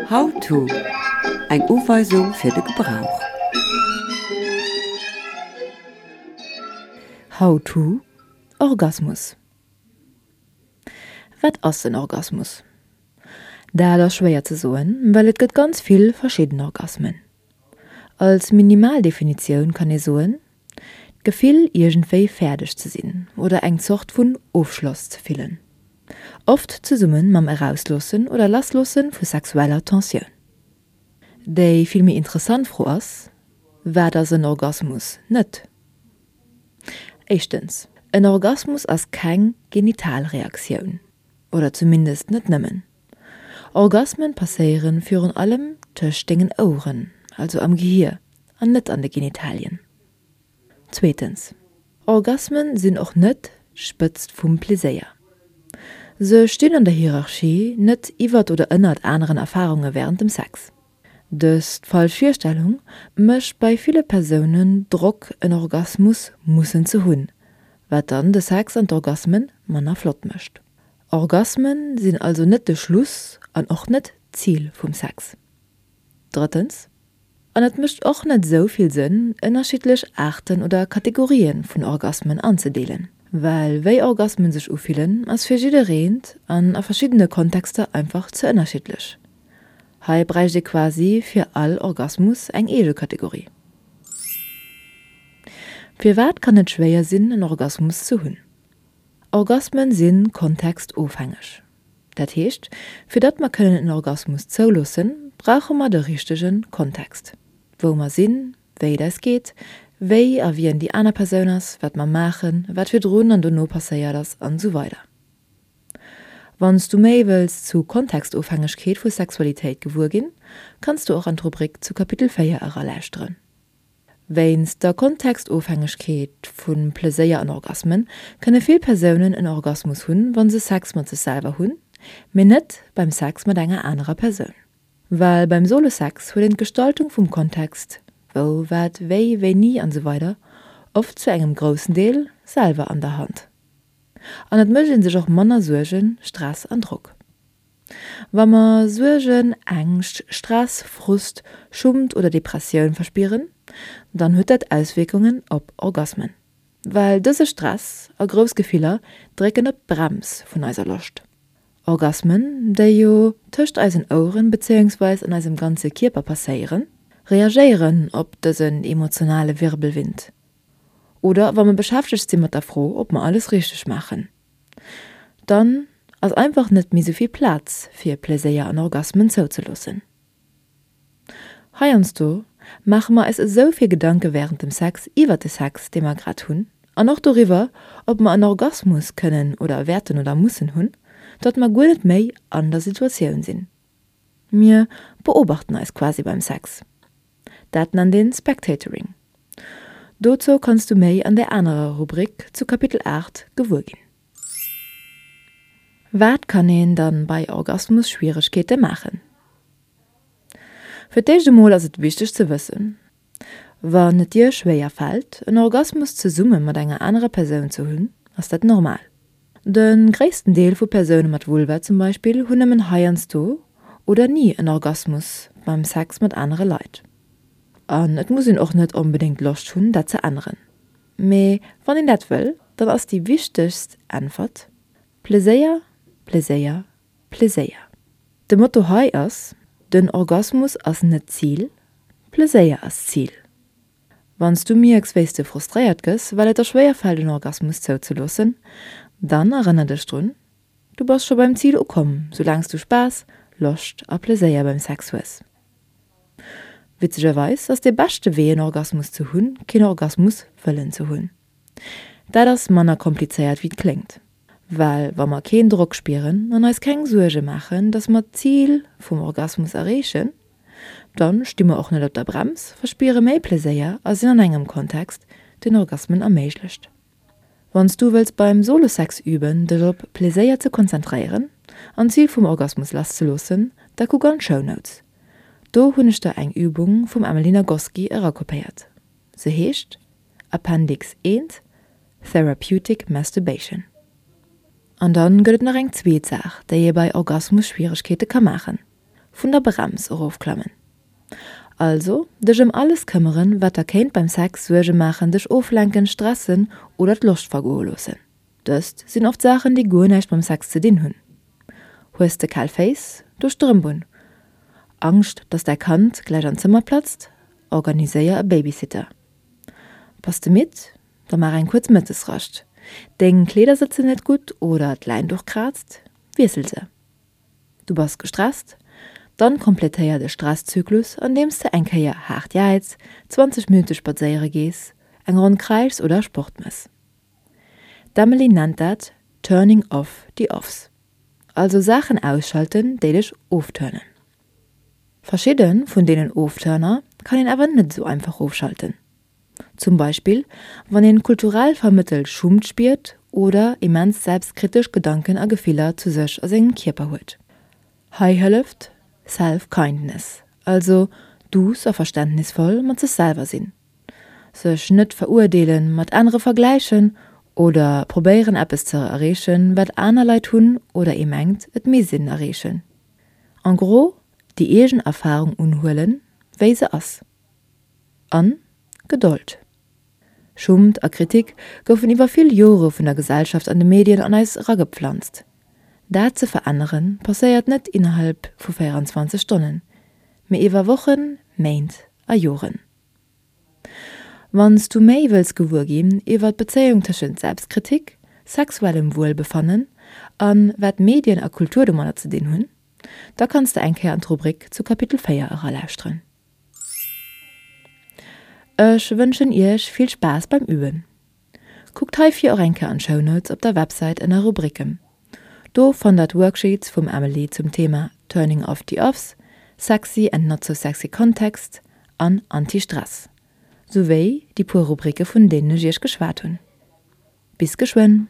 How to, Eng Uweisung fir de Gebrauch. How to, Orgasmus. Wat ass den Orgasmus? Dat ass schwéier ze soen, well et gëtt ganz vill verschidden Orgasmen. Als minimal Definitioun kann ee soen, D'Gefill iergendwéi fäerdeg ze sinn oder eng Zort vun Ofschloss ze fillen. Oft zesumme mam Erausloossen oder Lassloosse vu sexueller Tensioun. Déi vill méi interessant Fro ass, Wat ass en Orgasmus net? Éischtens, en Orgasmus ass keng Genitalreaktioun, oder zumindest net nëmmen. Orgasmen passéieren virun allem tëscht dengen Oueren, also am Gehier, an net an de Genitalien. Zweetens, Orgasmen sinn och net d'Spëtzt vum Pleséier. Se stinn an der Hierarchie net iwwert oder ënnert aneren Erfarunge wärend dem Sex. Dëst falsch Virstellung mécht bei ville Persounen Drock en Orgasmus mussen ze hunn, wat dann de Sex an d'Orgasmen manner flott mécht. Orgasmen sinn also net de Schluss an och net d'Zil vum Sex. Drëttens, an et mécht och net esou vill Sënn, ënnerschiddlech Aarten oder Kategorië vun Orgasmen anzedeelen, well wéi Orgasmen sech ufillen, ass fir jiddereent an a verschiddene Kontexter einfach ze ënnerschiddlech. Hei bräicht ee quasi fir all Orgasmus eng eege Kategorie. Firwat kann et schwéier sinn, en Orgasmus ze hunn? Orgasmen si kontextofhängeg. Dat heescht, fir datt mer kënnen en Orgasmus zouloossen, brauche mer de richtege Kontext. Wou mer sinn, wéi et eis geet, wéi a wien déi aner Persoun ass, wat mer maachen, wat virdrun an dono passéiert ass an esou weider. Wann s du méi wëlls zu Kontextofhängegkeet vu Sexualitéit gewuer ginn, kanns du och an d'Rubrik zu Kapitel 4 eralauschteren. Wéinst der Kontextofhängegkeet vu Pleséier an Orgasmen kënne vill Persounen en Orgasmus hunn, wa se Sex mat sech selwer hunn, mee net beim Sex mat enger anerer Persoun. Well beim Solo-Sex huet een d'Gestaltung vum Kontext, wou, wat, wéi, wéini an esou weider oft zu engem groussen Deel selwer an der Hand. An et mécht ee sech och manner Suergen, Stress an Drock. Wa mer Suergen, Ängscht, Stress, Frust, Schummt oder Depressioun verspieren, dann huet dat Auswierkungen op Orgasmen. Well dëse Stress a grouss Gefiller drécken op d'Brems vun eiser Loscht. Orgasmen, déi jo tëscht eisen Oueren bezéiungsweis an eisem ganze Kierper passéieren, reagéieren op dësen emotionale Wirbelwind. Oder wa mer beschäftegt si mat der Fro, ob mer alles richteg maachen. Dann ass einfach net méi souvill Plaz fir Pleséier an Orgasmen zouzeloossen. Heiansdo maache mer eis esou vill Gedanke wärend dem Sex iwwert de Sex dee mer grad hunn an och doriwwer ob mer en Orgasmus kënnen oder wäerten oder mussen hunn, datt mer guer net méi an der Situatioun sinn. Mir beobachten eis quasi beim Sex. Dat nennt een Spectatoring. Dozou kanns du méi an där anerer Rubrik zu Kapitel 8 gewuer ginn. Wat kann een dann bei Orgasmus-Schwieregkeete maachen? Fir d'éischt emol ass et wichteg ze wëssen, Wann et dir schwéier fält, en Orgasmus zesumme mat enger anerer Persoun ze hunn, ass dat normal. De gréissten Deel vu Persoune mat Vulva zum Beispill hunn nëmmen heiansdo oder ni en Orgasmus beim Sex mat anere Leit. An et muss een och net onbedéngt Loscht hunn, dat ze änneren. Mee wann een dat wëll, dann ass déi wichtegst Äntwert, Pleséier, Pleséier, Pleséier. De Motto hei ass, Den Orgasmus ass net d'Zil, Pleséier ass d'Zil. Wann s du mierks wéi s de frustréiert gëss, well et der schwéier fält en Orgasmus zouzeloossen, dann erënner dech drun, Du bass scho beim Zil ukomm, soulaang s du Spaass, Loscht a Pleséier beim Sex hues. Witzegerweis ass dee beschte Wee en Orgasmus ze hunn, keen Orgasmus wëllen ze hunn. Dat ass manner komplizéiert wéi et kléngt. Well wa mer keen Drock spieren an eis keng Suerge maachen, dass mer d'Zil vum Orgasmus erreechen, dann sti mer och net op der Brems, verspiere méi Pleséier a sinn an engem Kontext, deen Orgasmen erméiglecht. Wann s du wëlls beim Solo-Sex üben, dech op Pleséier ze konzentréieren an d'Zil vum Orgasmus lasszeloossen, da kuck an d'Show Notes. Do hunn ech der eng Übung vum Emily Nagoski erakopéiert. Se heescht Appendix 1, Therapeutic Masturbation. An dann gëtt et nach eng zweet Saach, déi ee bei Orgasmus-Schwieregkeete ka maachen, vun der Brems erofklammen. Also dech ëm alles këmmeren, wat der kéint beim Sex Suerge maachen, dech oflenken, stressen oder d'Loscht vergoe loossen. Dëst sinn oft Saachen, déi guer näischt mam Sex ze dinn hunn. Hues de kal Féiss? Do Strëmp un. Angscht, dass däi Kand gläich an d'Zëmmer platzt? Organiséier e Babysitter. Bass de midd? Da maach eng kuerz Mëttesrascht. Deng Kleeder sëtzen net gutt oder d'Läinduch kraazt? Wiessel se. Du bass gestresst? Dann kompletéier de Stresszyklus andeems de eng Kéier haart jäiz, 20 Minutte spadséiere gees, eng Ronn kräischs oder Sport mëss. D'Emily nennt dat Turning off the offs. Also Saachen ausschalten, déi dech ofturnen. Verschidde vun deenen Ofturner kann een awer net esou einfach ofschalten. Zum Beispill wann een kulturell vermëttelt Schummt spiert oder immens selbstkritesch Gedanken a Gefiller zu sech a sengem Kierper huet. Hei hëlleft Self-Kindness, also duuss a verständnisvoll mat sech selwer sinn, sech net verurdeelen, mat anere vergläichen oder probéieren eppes ze erreechen, wat aner Leit hunn oder ee mengt et misst een erreechen. En gros, déi eegen Erfarung unhuelen, wéi se ass. An Gedold. Schummt a Kritik goufen iwwer vill Jore vun der Gesellschaft an de Medien an eis eragepflanzt. Dat ze veränneren, passéiert net innerhalb vu 24 Stonnen, mee iwwer Wochen, Méint a Joren. Wann s du méi wëlls gewuer ginn iwwer d'Bezéiung tëschent Selbstkritik, sexuellem Wuelbefannen a wat Medien a Kultur domadder ze dinn hunn, da kanns de eng Kéier an d'Rubrik zu Kapitel 4 eralauschteren. Ech wënschen iech vill Spaass beim Üben. Kuckt heifir och eng Kéier an d'Show Notes op der Websäit ënner Rubriken. Do fannt der d'Worksheets vum Emily zum Thema Turning off the offs, Sexy and not so sexy Context an Anti-Stress, souwéi déi puer Rubrike vun deenen ech iech geschwat hunn. Bis geschwënn!